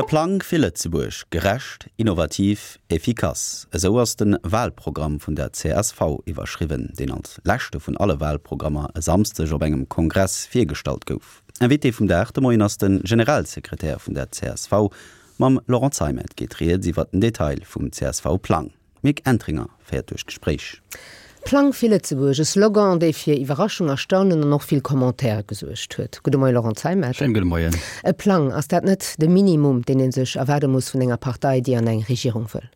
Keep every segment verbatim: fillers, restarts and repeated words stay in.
Plang fir Lëtzebuerg, gerecht, innovativ, efficace. Esou ass de Walprogramm vun der C S V iwwerschriwwen, deen als leschte vun alle Walprogrammer e Samschdeg op engem Kongress virgestallt gouf. Invité vum Dag de Moien ass de Generalsekretär vun der C S V. Mam Laurent Zeimet geet rieds iwwer den Detail vum C S V-Plang. Mick Entringer féiert duerch d'Gespréich. Plang fir Lëtzebuerg, e Slogan, dee fir Iwwerraschung, Erstaunen an och vill Commentaire gesuergt huet. Gudde Moien, Laurent Zeimet. Schéine gudde Moien. E Plang, ass dat net de Minimum, deen ee sech erwaarde muss vun enger Partei, déi an eng Regierung wëll?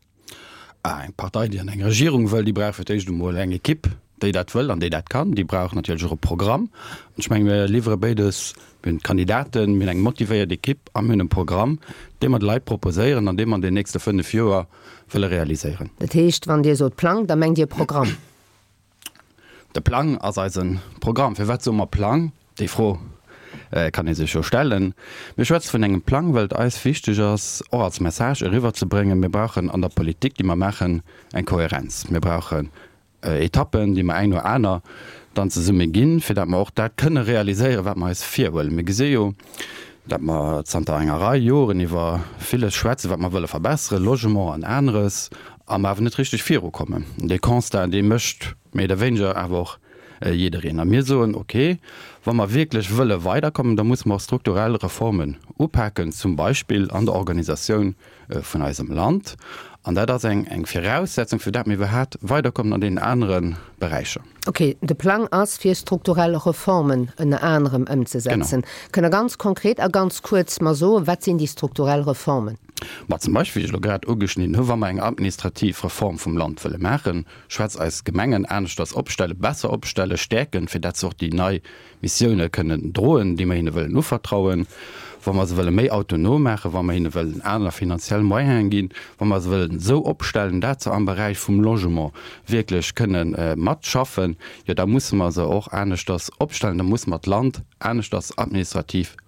Ah, eng Partei, déi an eng Regierung wëll, déi brauch fir d'éischt emol eng Ekipp, déi dat wëll an déi dat kann. Déi brauch natierlech och e Programm. An ech menge mir liwwere béides, mir hunn d'Kandidaten, mir hunn eng motivéiert Ekipp a mir hunn e Programm, dee mer de Leit proposéieren an dee mer an den nächste fënnef Joer wëlle realiséieren. Dat heescht, wann Dir sot Plang, da mengt Dir Programm? De Plang ass eise Programm. Firwat soe mer Plang? Déi Fro kann ee sech jo stellen. Mir schwätze vun engem Plang, well et eis wichteg ass, och als Message eriwwerzebréngen, mir brauchen an der Politik, déi mer maachen, eng Kohärenz. Mir brauchen Etappen, déi mer eng no aner dann zesumme ginn, fir datt mer och dat kënne realiséieren, wat mer eis virhuelen. Mir gesi jo, datt mer zanter enger Rei Joren iwwer villes schwätzen, wat mer wëlle verbesseren, Logement an aneres, a mer awer net richteg virukommen. Dee Constat, dee mécht méi oder wéineger awer och jiddereen. A mir soen, okay, wa mer wierklech wëlle weiderkommen, da musse mer och strukturell Reformen upaken, zum Beispill an der Organisatioun vun eisem Land. An dat ass eng eng Viraussetzung, fir dat mir iwwerhaapt weiderkommen an deenen anere Beräicher. Okay, de Plang ass, fir strukturell Reformen ënner anerem ëmzesetzen. Kënnt Der ganz konkret a ganz kuerz mer soen, wat sinn déi strukturell Reformen? Ma zum Beispill, wéi ech elo grad ugeschnidden hu, wa mer eng administrativ Reform vum Land wëlle maachen, schwätz eis Gemengen aneschters opstellen, besser opstellen, stäerken, fir dat se och déi nei Missioune kënnen droen, déi mer hinne wëllen uvertrauen, wa mer se wëlle méi autonom maachen, wa mer hinne wëllen aner finanziell Moyene ginn, wa mer se wëllen esou opstellen, dat se am Beräich vum Logement wierklech kënne matschaffen, jo da musse mer se och aneschters opstellen, da musse mer d'Land aneschters administrativ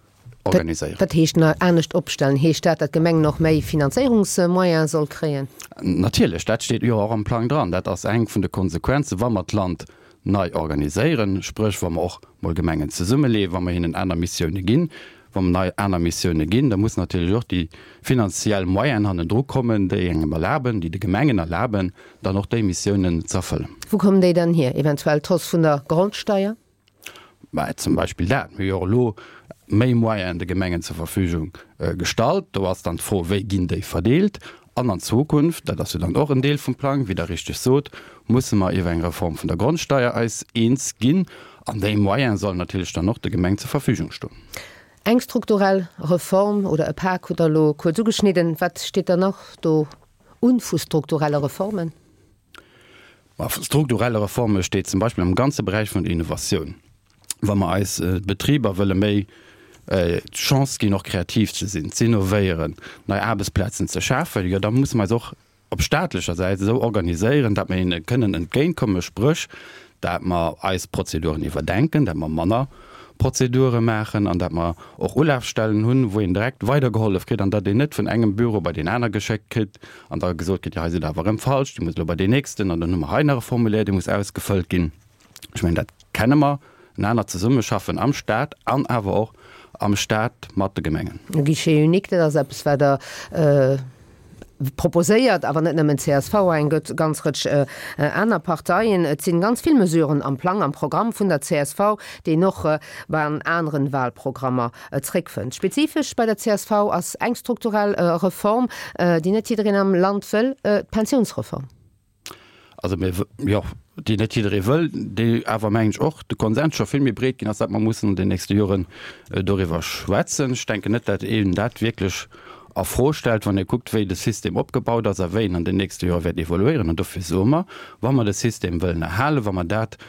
organiséieren. Wat heescht anescht opstellen? Heescht dat, datt d'Gemeng nach méi Finanzéierungsmoyene soll kréien? Natierlech, dat steet jo och am Plang dran. Dat ass eng vun de Konsequenzen, wa mer d'Land nei organiséieren, spréch wa mer och mol Gemengen zesummeleeën, wa mer hinnen aner Missioune ginn. Wa mer nei aner Missioune ginn, da mussen natierlech och déi finanziell Moyenen hannendru kommen, déi engem erlaben, déi de Gemengen erlaben, dann och déi Missiounen ze erfëllen. Wou kommen déi dann hier? Eventuell d'Hausse vun der Grondsteier? Mä zum Beispill dat. Mir hu jo och elo méi Moyenen de Gemengen zur Verfügung gestallt. Do ass dann d'Fro, wéi ginn déi verdeelt? An an Zukunft, dat ass jo dann och en Deel vum Plang, wéi Der richteg sot, musse mer iwwer eng Reform vun der Grondsteier eis eens ginn. An déi Moyene sollen natierlech dann och de Gemeng zur Verfügung stoen. Eng strukturell Reform oder e Pak hutt Der elo kuerz ugeschnidden. Wat steet dann nach do un vu strukturelle Reformen? Ma strukturelle Reforme steet zum Beispill am ganze Beräich vun der Innovatioun. Wa mer eis Betriber wëlle méi d'Chance ginn, och kreativ ze sinn, z'innovéieren, nei Aarbechtsplazen ze schafen, jo da musse mer eis och op staatlecher Säit esou organiséieren, datt mer hinne kënnen entgéintkommen, spréch dat mer eis Prozeduren iwwerdenken, dat mer manner Prozedure maachen an dat mer och Ulafstellen hunn, wou een direkt weidergehollef kritt an datt een net vun engem Büro bei deen aner geschéckt kritt an da gesot kritt, jo hei sidd Der awer erëm falsch, Dir musst elo bei deen nächsten an dann hu mer hei nach e Formulaire, dee muss ausgefëllt ginn. Ech mengen, dat kenne mer, en anert Zesummeschaffen am Stat an awer och am Stat mat de Gemengen. E Guichet unique, dat ass eppes, wat Der proposéiert, awer net nëmmen csv, eng ganz Rëtsch aner Parteien. Et sinn ganz vill Mesuren am Plang, am Programm vun der C S V, déi een och bei an aneren Wahlprogrammer zréckfënnt. Spezifesch bei der C S V ass eng strukturell Reform, déi net jiddereen am Land wëll, d'Pensiounsreform. Also mir, jo, déi net jidderee wëll, déi awer, mengen ech, och de Konsens scho vill méi breet ginn ass, datt mer mussen an den nächste Joren doriwwer schwätzen. Ech denken net, datt een dat wierklech a Fro stellt, wann ee kuckt, wéi de System opgebaut ass a wéi en an den nächste Jore wäert evoluéieren. An dofir soe mer, wa mer de System wëllen erhalen, wa mer dat,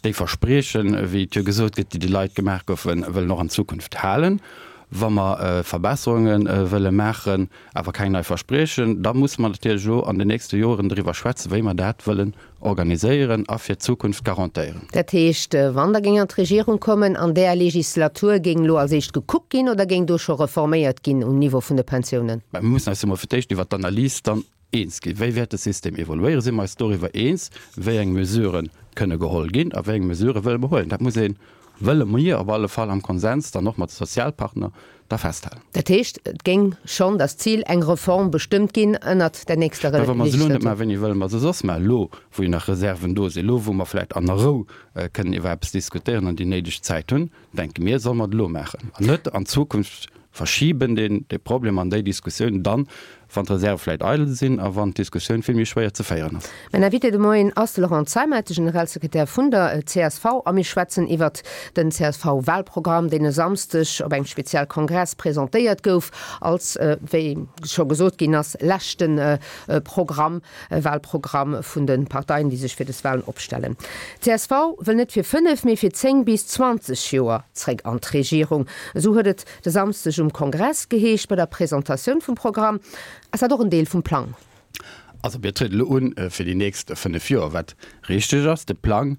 déi Verspriechen, wéi et jo gesot gëtt, déi de Leit gemaach goufen, wëllen och an Zukunft halen, wa mer Verbesserunge wëlle maachen, awer keng nei Verspriechen, da musse mer natierlech elo an den nächste Joren driwwer schwätzen, wéi mer dat wëllen organiséieren a fir d'Zukunft garantéieren. Dat heescht, wann Der géing an d'Regierung kommen, an där Legislatur géing elo als éischt gekuckt ginn oder géing do scho reforméiert ginn um Niveau vun de Pensiounen? Mä mir mussen eis jo mol fir d'éischt iwwert d'Analys dann eens ginn. Wéi wäert de System evoluéieren? Si mer eis doriwwer eens, wéi eng Mesurë kënne geholl ginn a wéi eng Mesurë wëlle mer huelen? Dat muss een wëlle mir op alle Fall am Konsens dann och mat de Sozialpartner da festhalen. Dat heescht, et géing schonn das Zil eng Reform bestëmmt ginn ënnert der nächster Mä wa mer se elo net Legislatur. maachen, wéini wëlle mer se soss maachen? Elo, wou jo nach Reserven do sinn, elo, wou mer vläicht an der Rou kënnen iwwer eppes diskutéieren an déi néideg Zäit hunn, denke mir, solle mer et elo maachen an net an d'Zukunft verschiben, deen, dee Problem an déi Diskussioun dann, wann d'Reserve vläicht eidel sinn a wann d'Diskussioun vill méi schwéier ze féieren ass. Mäin Invité de Moien ass de Laurent Zeimet, de Generalsekretär vun der csv, a mir schwätzen iwwert den CSV-Wahlprogramm, deen e Samsdeg op engem Spezialkongress presentéiert gouf, als, wéi scho gesot ginn ass, leschte Programm, Wahlprogramm vun de Parteien, déi sech fir des Wahlen opstellen. D'csv wëll net fir fënnef, mee fir zéng bis zwanzeg Joer zréck an d'Regierung. Esou huet et de Samsdeg um Kongress geheescht bei der Presentatioun vum Programm. Ass dat och en Deel vum Plang? Also mir trieden elo un fir déi nächst fënnef Joer, wat richteg ass. De Plang,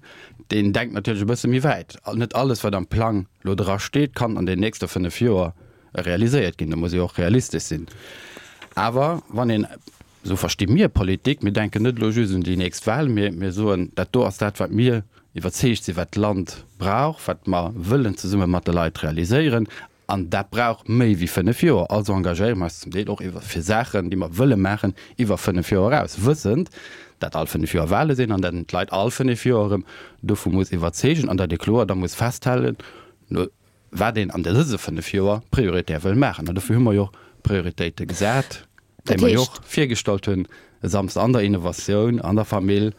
deen denkt natierlech e bësse méi wäit. Net alles, wat am Plang elo dra steet, kann an den nächste fënnef Joer realiséiert ginn. Do muss ee och realistesch sinn. Awer wann een, esou versti mir Politik, mir denken net elo just un déi nächst Wahl, mee mir soen, dat do ass dat, wat mir iwwerzeegt sinn, wat d'Land brauch, wat mer wëllen zesumme mat de Leit realiséieren. An dat brauch méi wéi fënnef Joer. Also engagéiere mer eis zum Deel och iwwer fir Saachen, déi mer wëlle maachen, iwwer fënnef Joer eraus, wëssend, dat all fënnef Joer Wahle sinn an dat een d'Leit all fënnef Joer erëm dovu muss iwwerzeegen an dat ee kloer da muss festhalen, no wat een an dëse fënnef Joer prioritär wëll maachen. An dofir hu mer jo och Prioritéite gesat, déi mer jo och virgestallt hunn e Samsden an der Innovatioun, an der Famill,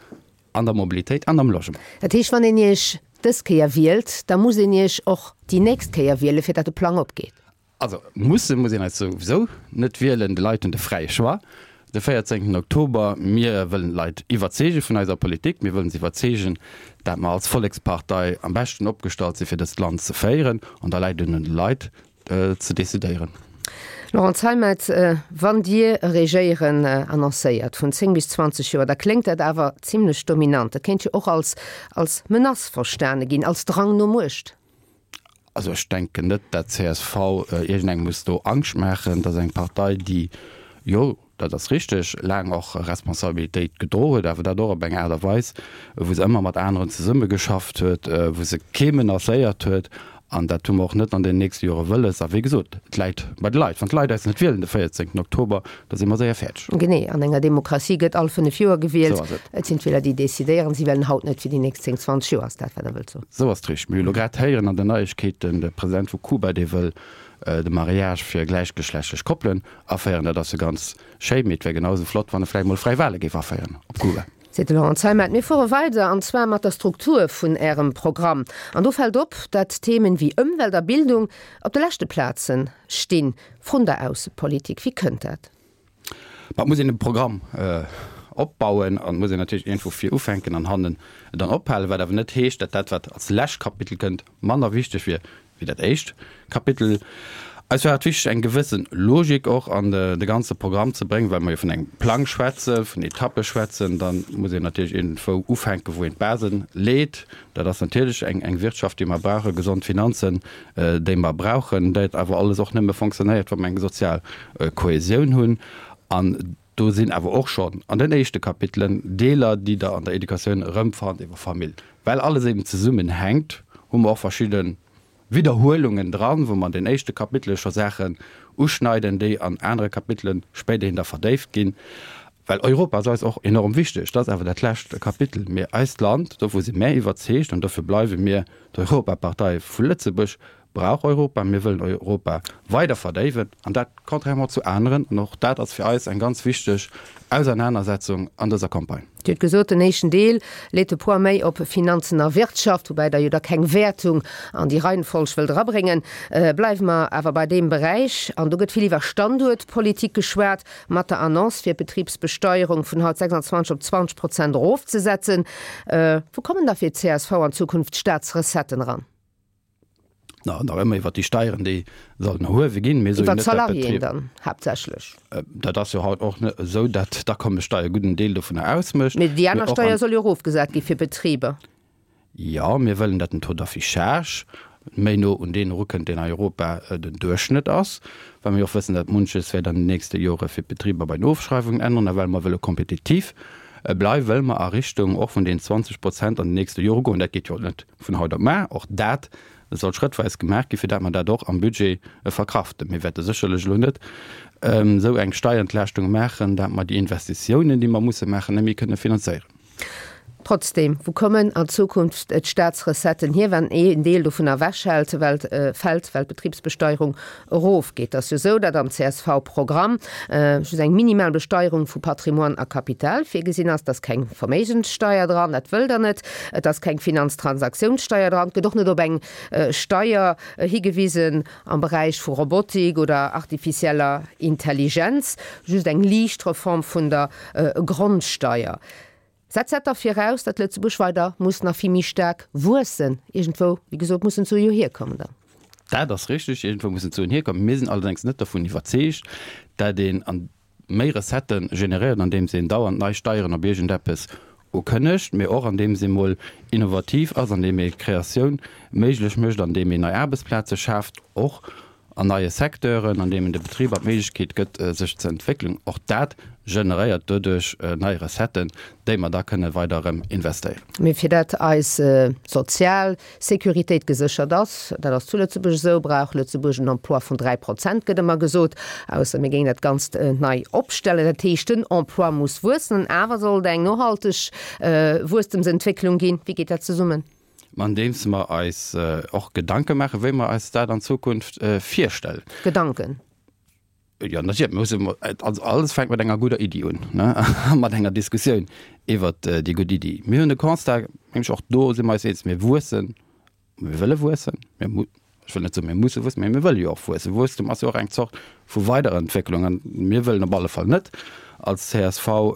an der Mobilitéit an am Logement. Dat heescht, wann een Iech dës Kéier wielt, da muss een Iech och déi nächst Kéier wielen, fir datt de Plang opgeet? Also musse muss een eis souwisou net wielen. De Leit hunn de fräie Choix de véierzéngten Oktober. Mir wëllen d'Leit iwwerzeege vun eiser Politik. Mir wëllen se iwwerzeegen, dat mer als Vollekspartei am beschten opgestallt si fir dëst Land ze féieren. An da läit et un de Leit ze decidéieren. Laurent Zeimet, Wann Dir Regéieren annoncéiert vun zéng bis zwanzeg Joer, da kléngt dat awer zimlech dominant. Dat kéint jo och als als Menace verstane ginn, als Drang no Muecht. Also ech denken net, dat csv iergendengem muss do Angscht maachen. Dat ass eng Partei, déi, jo, dat ass richteg, laang och Responsabilitéit gedro huet, awer dat och op eng Aart a Weis, wou se ëmmer mat aneren zesummegeschafft huet, wou se kee menacéiert huet. An dat hu mer och net an den nächste Jore wëlles. A wéi gesot, et läit bei de Leit. Wann d'Leit eis net wielen de véierzéngten Oktober, da si mer séier fäerdeg. Genee, an enger Demokratie gëtt all fënnef Joer gewielt. Esou ass et. Et sinn d'Wieler, déi decidéieren. Si wielen haut net fir déi nächst zéng, zwanzeg Joer, ass dat, wat Der wëllt soen? Esou ass et richteg. Mir hu lo grad héieren an den Neiegkeeten, de President vu Kuba, dee wëll de Mariage fir gläichgeschlechtlech Koppelen aféieren. Dat ass jo ganz schéi, mee et wär genau esou flott, wann e vläicht mol fräi Wale géif aféieren op Kuba. Seet de Laurent Zeimet. Mir fuere weider, an zwar mat der Struktur vun Ärem Programm. An do fält op, dat Themen wéi Ëmwelt a Bildung op de leschte Plaze stinn, vrun der Aussepolitik. Wéi kënnt dat? Ma et muss een e Programm opbauen an et muss een natierlech iergendwou vir ufänken an hannen dann ophalen, wat awer net heescht, dat dat, wat als lescht Kapitel kënnt, manner wichteg wier wéi dat éischt Kapitel. Eis war et wichteg, eng gewësse Logik och an de ganze Programm ze bréngen, well mer jo vun engem Plang schwätzen, vun Etappe schwätzen. Da muss een natierlech iergendwou ufänken, wou een d'Base leet. Dat ass natierlech eng Wirtschaft, déi mer brauchen, gesond Finanzen, déi mer brauchen, dat awer alles och nëmme fonctionnéiert, wa mer eng sozial Kohäsioun hunn. An do sinn awer och schonn an den éischte Kapitelen Deeler, déi Der an der Educatioun erëmfannt iwwer Famill. Well alles eben zesummenhänkt, hu mer och verschidde Widderhuelungen dran, wou mer an den éischte Kapitele scho Saachen uschneiden, déi an anere Kapitele spéiderhin da verdéift ginn. Well Europa ass eis och enorm wichteg, dat ass awer dat lescht Kapitel. Mee eist Land, dovu si mär iwwerzeegt an dofir bleiwe mir d'Europapartei vu Lëtzebuerg, brauch Europa. Mir wëllen Europa weider verdéiwen an dat contrairement zu aneren. An och dat ass fir eis eng ganz wichteg Ausernanersetzung an dëser Campagne. Dir hutt gesot, den éischten Deel leet de Poids méi op Finanzen a Wirtschaft, woubäi Der jo da keng Wäertung an déi Reihenfolg wëllt erabréngen. Bleiwe mer awer bei deem Beräich, an do gëtt vill iwwer Standuertpolitik geschwat, mat der Annonce fir d'Betribsbesteierung vun haut sechsundzwanzeg op zwanzeg Prozent erofzesetzen. Wou kommen da fir d'CSV an Zukunft d'Staatsrecetten eran? Na, nach ëmmer iwwer déi Steieren, déi sollen erhuewe ginn. Mir soen Iwwer net, dat d'Salariéen Betrib. dann haaptsächlech. Dat ass jo haut och net esou, dat d'Akommessteier e gudden Deel dovunner ausmécht. Mee déi aner Mee och Steier an. soll jo erofgesat gi fir Betriber. Jo, mir wëllen, dat den Taux d'affichage méi no un deen erukënnt, deen a Europa den Duerchschnëtt ass, well mir och wëssen, dat munches wäert an den nächste Jore fir d'Betriber bei den Ofschreiwungen änneren a well mer wëlle kompetitiv bleiwen, wëlle mer a Richtung och vun den zwanzeg Prozent an den nächste Jore goen. Dat geet jo net vun haut op mar. Och dat soll schrëttweis gemaach ginn, fir dat mer dat och am Budget verkraften. Mir wäerte sécherlech elo net esou eng Steierentlaaschtung maachen, dat mer déi Investitiounen, déi mer musse maachen, net méi kënne finanzéieren. Trotzdem, wou kommen an Zukunft d'Staatsrecetten hier, wann een Deel dovunner ewechhält, well fält, well d'Betribsbesteierung erofgeet? Et ass jo esou, datt am C S V-Programm just eng minimal Besteierung vu Patrimoine a Kapital virgesinn ass. Et ass keng Verméigenssteier dran, dat wëllt Der net. Et ass keng Finanztransaktionssteier dran. Et gëtt och net op eng Steier higewisen am Beräich vu Robotik oder artificieller Intelligenz, just eng liicht Reform vun der Grondsteier. Setzt dat da viraus, datt Lëtzebuerg weider muss nach vill méi staark wuessen? Iergendwou, wéi gesot, mussen d'Sue jo hierkommen dann. Dat ass richtig, iergendwou mussen d'Suen hierkommen. Mir sinn allerdéngs net dovun iwwerzeegt, datt een méi Recettë generéiert, andeems een dauernd nei Steieren op iergendeppes ukënnegt, mee och andeems ee mol innovativ ass, andeem ee Kreatioun méiglech mécht, andeem een nei Aarbechtsplaze schaaft, och an neie Secteuren, an deem en de Betriber d'Méiglechkeet gëtt, sech ze entwéckelen. Och dat generéiert doduerch nei Recetten, déi mer da kënne weider erëm investéieren. Mee fir dat eis sozial Sécuritéit geséchert ass, dat ass zu Lëtzebuerg esou, brauch Lëtzebuerg en Emploi vun dräi Prozent, gëtt ëmmer gesot, ausser mir géingen dat Ganzt nei opstellen. Dat heescht, den Emploi muss wuessen, an awer soll et eng nohalteg Wuesstemsentwécklung ginn. Wéi geet dat zesummen? Andeems mer eis och Gedanke maachen, wéi mer eis dat an Zukunft virstellen. Gedanken? Jo, natierlech. Mir mussen, also alles fänkt mat enger gudder Iddi un, ne, a mat enger Diskussioun iwwert déi gutt Iddi. Mir hunn de Constat, mengen ech, och do si mer eis eens, mir wuessen, mir wëlle wuessen, mir mu-, ech wëll net soen, mir musse wuessen, mä mir wëlle jo och wuessen. Wuesstum ass jo och eng Zort vu Weiderentwécklung an mir wëllen op alle Fall net als C S V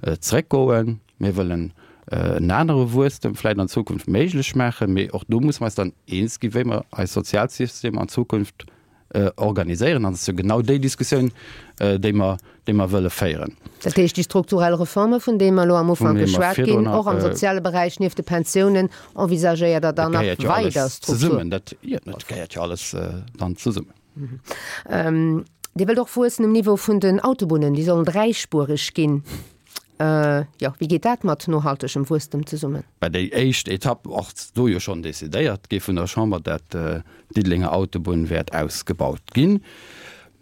zeréckgoen. Mir wëllen en anere Wuesstem vläicht an Zukunft méiglech maachen, mee och do musse mer eis dann eens ginn, wéi mer eis Sozialsystem an Zukunft organiséieren. An et ass jo genau déi Diskussioun, déi mer, déi mer wëlle féieren. Dat heescht, déi strukturell Reforme, vun deene mer elo am Ufank geschwat ginn, och am soziale Beräich nieft de Pensiounen, envisagéiert Der dann nach weider Struktur? Dat gehéiert jo alles dann zesummen. Dir wëllt och wuessen um Niveau vun den Autobunnen, déi sollen dräispuereg ginn. Jo, wéi geet dat mat nohaltegem Wuesstem zesummen? Bei déi éischt Etapp ass do jo schonn decidéiert gi vun der Chamber, dat d'Diddelenger Autobunn wäert ausgebaut ginn.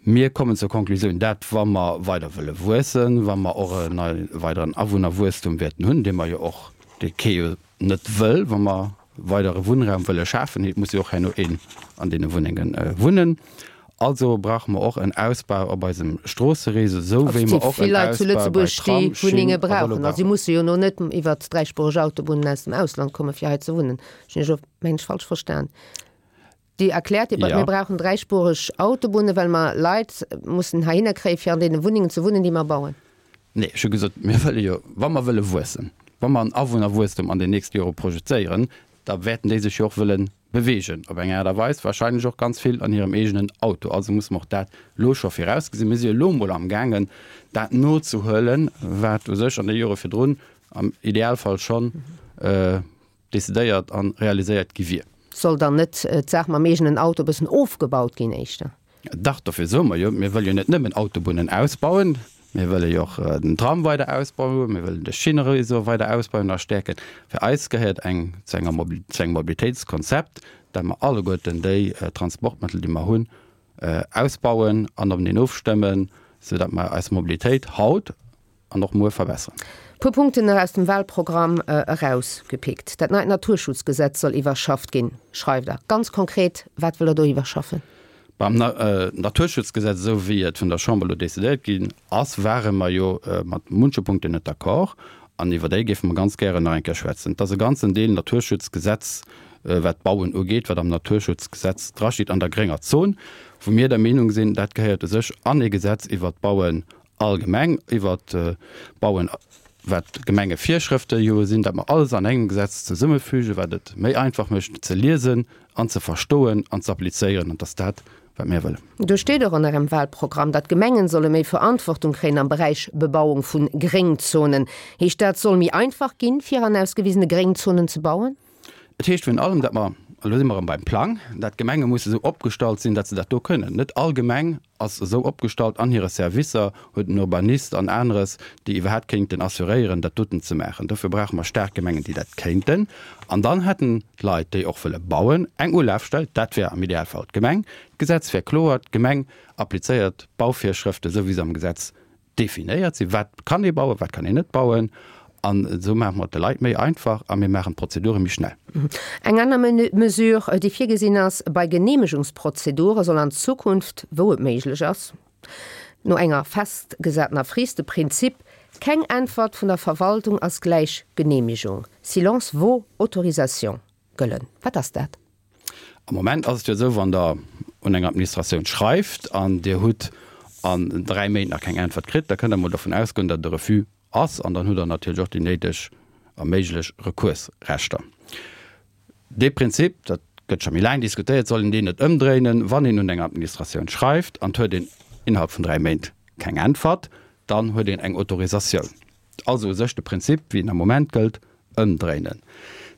Mir kommen zur Konklusioun, dat wa mer weider wëlle wuessen, wa mer och e weideren Awunnerwuesstum wäerten hunn, dee mer jo och, dee kee jo net wëll, wa mer weidere Wunnraum wëlle schafen, et muss jo och herno een an deene Wunnenge wunnen, also brauche mer och en Ausbau op eisem Stroossereseau, esou wéi mer och en Ausbau bei Tram, Schinn a Vëlo brauchen. Si musse jo no net iwwert dräispuereg Autobunnen aus dem Ausland komme fir hei ze wunnen. Hunn ech elo, mengen ech, falsch verstan? Dir erkläert, mir brauchen dräispuereg Autobunne well mer Leit mussen heihinner kréien, fir an deene Wunnengen ze wunnen, déi mer bauen. Nee, ech hu gesot, mir wëlle jo, wa mer wëlle wuessen, wa mer en Awunnerwuesstum an den nächste Jore projezéieren, da wäerten déi sech jo och wëlle beweegen op eng Aart a Weis, wahrscheinlech och ganz vill an hirem eegenen Auto. Also musse mer och dat elo scho virausgesinn. Mir si jo elo emol amgaangen, dat nozehuelen, wat u sech an de Jore virdrun am Idealfall schonn decidéiert a realiséiert gi wier. Soll dann net d'Saach mam eegenen Auto e bëssen ofgebaut ginn éischter? Dach, dofir soe mer jo, mir wëlle jo net nëmmen Autobunnen ausbauen, mir wëlle jo och den Tram weider ausbauen, mir wëllen de Schinneréseau weider ausbauen a stäerken. Fir eis gehéiert eng zu enger zu engem Mobilitéitskonzept, dat mer alleguerten déi Transportmëttel, déi mer hunn, ausbauen an openeen ofstëmmen, soudatt mer eis Mobilitéit haut an och muer verbesseren. Puer Punkten nach aus dem Wahlprogramm erausgepickt. Dat neit Naturschutzgesetz soll iwwerschafft ginn, schreift Der. Ganz konkret, wat wëllt Der do iwwerschaffen? Beim Naturschutzgesetz, esou wéi et vun der Chamber elo decidéiert ginn ass, ware mer jo mat munche Punkten net d'accord an iwwer déi géife mer ganz gären nach eng Kéier schwätzen. Et ass e ganzen Deel Naturschutzgesetz, wat d'Bauen ugeet, wat am Naturschutzgesetz drasteet an der grénger Zon, wou mir der Meenung sinn, dat gehéiert u sech an ee Gesetz iwwert d'Bauen allgemeng, iwwert d'Bauen, wat d'Gemengevirschrëfte jo sinn, dat mer alles an engem Gesetz zesummefügen, wat et méi einfach mécht ze liesen an ze verstoen an ze applizéieren. An et ass dat, wat mir wëllen. Do steet och an Ärem Wahlprogramm, datt d'Gemengen solle méi Verantwortung kréien am Beräich Bebauung vu Gréngzonen. Heescht dat, et soll méi einfach ginn, fir an ausgewisene Gréngzonen ze bauen? Et heescht virun allem, datt mer elo si mer erëm beim Plang, dat d'Gemenge musse esou opgestallt sinn, datt se dat do kënnen. Net all Gemeng ass esou opgestallt an hire Servicer, huet en Urbanist an aneres, déi iwwerhaapt kéinten assuréieren, dat doten ze maachen. Dofir brauche mer staark Gemengen, déi dat kéinten. An dann hätten d'Leit, déi och wëlle bauen, eng Ulafstell, dat wär am Idealfall d'Gemeng. D'Gesetz wär kloer, d'Gemeng applizéiert d'Bauvirschrëften, esou wéi se am Gesetz definéiert sinn, wat kann ee bauen, wat kann een net bauen. An esou maache mer et de Leit méi einfach a mir maachen d'Prozedure méi schnell. Eng aner Mesure, déi virgesinn ass, Bei Geneemegungsprozedure soll an Zukunft, wou et méiglech ass, no enger festgesatener Frist de Prinzip Keng Äntwert vun der Verwaltung ass gläich Geneemegung, Silence vaut autorisation, gëllen. Wat ass dat? Am Moment ass et jo esou, wann Der un eng Administratioun schreift an Dir hutt an dräi Méint nach keng Äntwert kritt, da kënnt Der emol dovun ausgoen, datt et e Refus ass an dann hutt Der natierlech och déi néideg a méiglech Rekursrechter. Dee Prinzip, dat gëtt scho méi laang diskutéiert, soll een deen net ëmdréinen, wann een un eng Administratioun schreift an et huet een innerhalb vun dräi Méint keng Äntwert, dann huet een eng Autorisatioun. Also u sech de Prinzip, wéi en am Moment gëllt, ëmdréinen.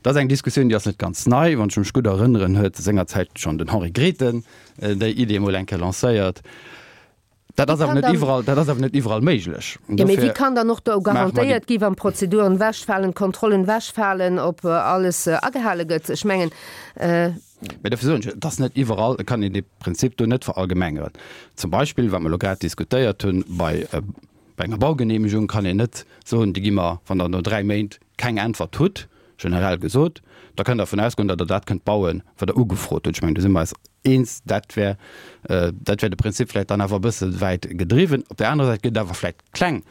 Dat ass eng Diskussioun, déi ass net ganz nei. Wann ech mech gutt erënneren, huet sengerzäit schonn den Henri Grethen déi Idee emol eng Kéier lancéiert. Dat ass awer net iwwerall, dat ass awer net iwwerall méiglech. Jo, mee wéi kann dann och do garantéiert gi, wann d'Prozeduren ewechfalen, d'Kontrollen ewechfalen, ob alles agehale gëtt? Ech mengen. Mee dofir soen ech, et ass net iwwerall, et kann een dee Prinzip do net verallgemengeren. Zum Beispill, wat mer elo grad diskutéiert hunn, bei bei enger Baugeneemegung kann een net soen, déi gi mer, wann Der no dräi Méint keng Äntwert hutt, generell gesot, da kënnt Der dervun ausgoen, datt Der dat kënnt bauen, wat Der ugefrot hutt. Ech mengen, do si mer eis eens. Dat wär, dat wär de Prinzip vläicht dann awer e bësse wäit gedriwwen. Op där anerer Säit gëtt et awer vläicht kleng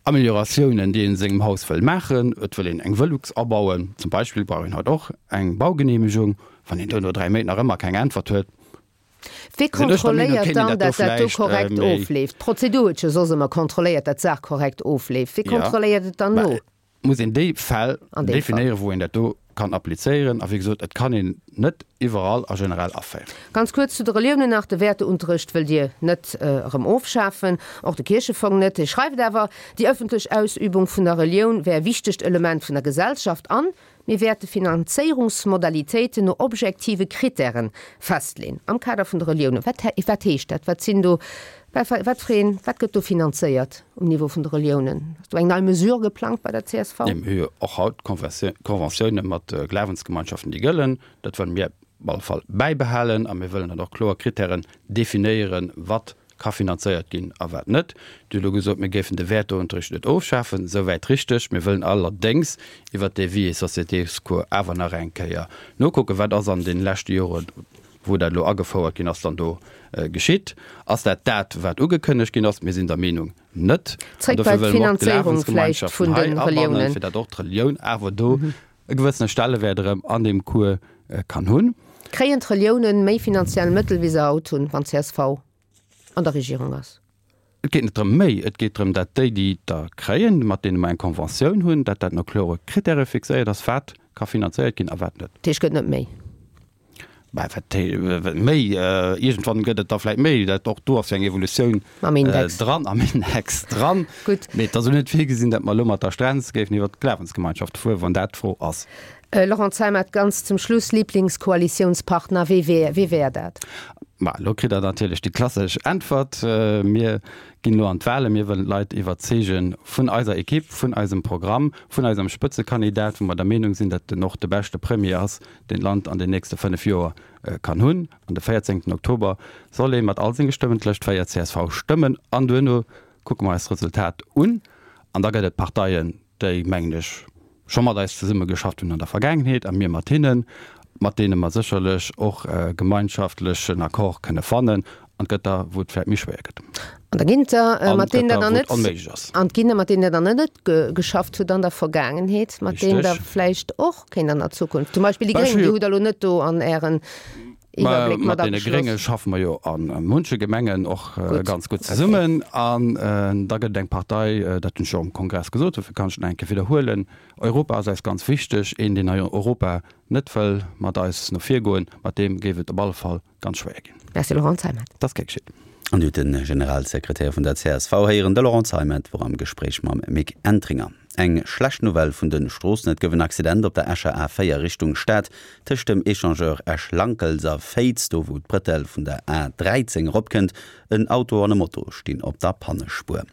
Amelioratiounen, déi een a sengem Haus wëll maachen. Et wëll een eng Velux abauen zum Beispill, brauch een haut och eng Baugeneemegung. Wann een do no dräi Méint nach ëmmer keng Äntwert huet, Wie sinn ech der Meenung, kontrolléiert kéint een dann, dat do datt dat do vläicht korrekt méi. ofleeft? D'Prozedur huet jo soss ëmmer kontrolléiert, datt d'Saach korrekt ofleeft. Wie Jo, kontrolléiert et dann mä no? muss een déi Fäll An deem Fall. definéieren, wou een dat do kann applizéieren. A wéi gesot, et kann een net iwwerall a generell aféieren. Ganz kuerz zu de Reliounen nach, De Wäerteunterrecht wëllt Dir net erëm ofschafen, och de Kierchefong net. Dir schreift awer, déi ëffentlech Ausübung vun der Relioun wär e wichtegt Element vun der Gesellschaft an mir wäerte Finanzéierungsmodalitéiten no objektive Krittären festleen am Kader vun de Reliounen. Wat wat heescht dat? Wat sinn do Wat fir een, wat gëtt do finanzéiert um Niveau vun de Reliounen? Ass do eng nei Mesure geplangt bei der csv? Nee, mir hu jo och haut Conventiounen mat Glawensgemeinschaften, déi gëllen. Dat wëlle mir op alle Fall bäibehalen a mir wëllen dann och kloer Krittären definéieren, wat ka finanzéiert ginn a wat net. Dir hutt elo gesot, mir géifen de Wäerteunterricht net ofschafen. Souwäit richteg. Mir wëllen allerdéngs iwwert dee Vie et sociétés-Cours awer nach eng Kéier nokucken, wat ass an deene leschte Joren, wou dat elo agefouert ginn ass, dann do geschitt? Ass dat dat, wat ugekënnegt ginn ass? Mir sinn der Meenung, net. An Zréck bei dofir wëlle mer och d'Finanzéierung vläicht d'Glawensgemeinschaften vun hei de abannen, Reliounen. fir datt och d'Relioun awer do e gewëssene Stellewäert erëm an deem Cours kann hunn. Kréien d'Reliounen méi finanziell Mëttel, wéi se haut hunn, wann csv an der Regierung ass? Et geet net drëm méi, et geet drëm, datt déi, déi der kréien, mat deene mer eng Conventioun hunn, datt dat no klore Krittäre fixéiert ass, wat ka finanzéiert ginn a wat net. Dat heescht, gëtt net méi? Bah, wat méi, iergendwann gëtt et da vläicht méi. Dat, och do ass jo eng Evolutioun Am Index. dran, am Index dran. Gutt. Mee et ass elo net virgesinn, datt mer elo mat der Strenz géifen iwwert d'Glawensgemeinschaft fueren, wann dat d'Fro ass. Laurent Zeimet, ganz zum Schluss, Lieblingskoalitiounspartner, wee wär, wee wär dat? Ma elo kritt Der natierlech déi klassesch Äntwert, Mir ginn elo an d'Wahlen, mir wëllen d'Leit iwwerzeege vun eiser Ekipp, vun eisem Programm, vun eisem Spëtzekandidat, wou mer der Meenung sinn, datt en och de beschte Premier ass, deen d'Land an den nächste fënnef Joer kann hunn. An de véierzéngten Oktober soll ee mat all senge Stëmmen d'Lëscht véier csv stëmmen an duerno kucke mer eis d'Resultat un an da gëtt et Parteien, déi, mengen ech, scho mat eis zesumme geschafft hunn an der Vergaangenheet a mir mat hinnen, mat deene mer sécherlech och e gemeinschaftlechen Accord kënne fannen. An et gëtt der, wou et vläicht méi schwéier gëtt. An da ginn et der, An mat et gëtt deenen der der, dann wou et net, onméiglech ass. an et ginn der, mat deenen der dann net geschafft hutt an der Vergaangenheet, mat deenen der Richteg. vläicht och kéint an der Zukunft, zum Beispill déi Bah, ech Gréng, hu déi jo. hutt Der elo net do an Ären Iwwerbléck mat Mat deene ageschloss. Grénge schaffe mer jo a munche Gemengen och Gutt, ganz gutt okay. zesummen. An da gëtt et eng Partei, dat hunn ech jo am Kongress gesot, dofir kann ech et nach eng Kéier widderhuelen, Europa ass eis ganz wichteg. Een, deen hei Europa net wëll mat eis no vir goen, mat deem géif et op alle Fall ganz schwéier ginn. Merci Laurent Zeimet. Dat ass gär geschitt. An Dir hutt de Generalsekretär vun der csv héieren, de Laurent Zeimet wor am Gespréich mam Mick Entringer. Eng schlecht Nouvelle vun de Stroossen, Et gouf en Accident op der Escher A véier Richtung Stad, tëscht dem Echangeur Esch-Lankels a Féiz, do wou d'Brëtell vun der A dräizéng eropkënnt. En Auto an e Moto stinn op der Pannespuer.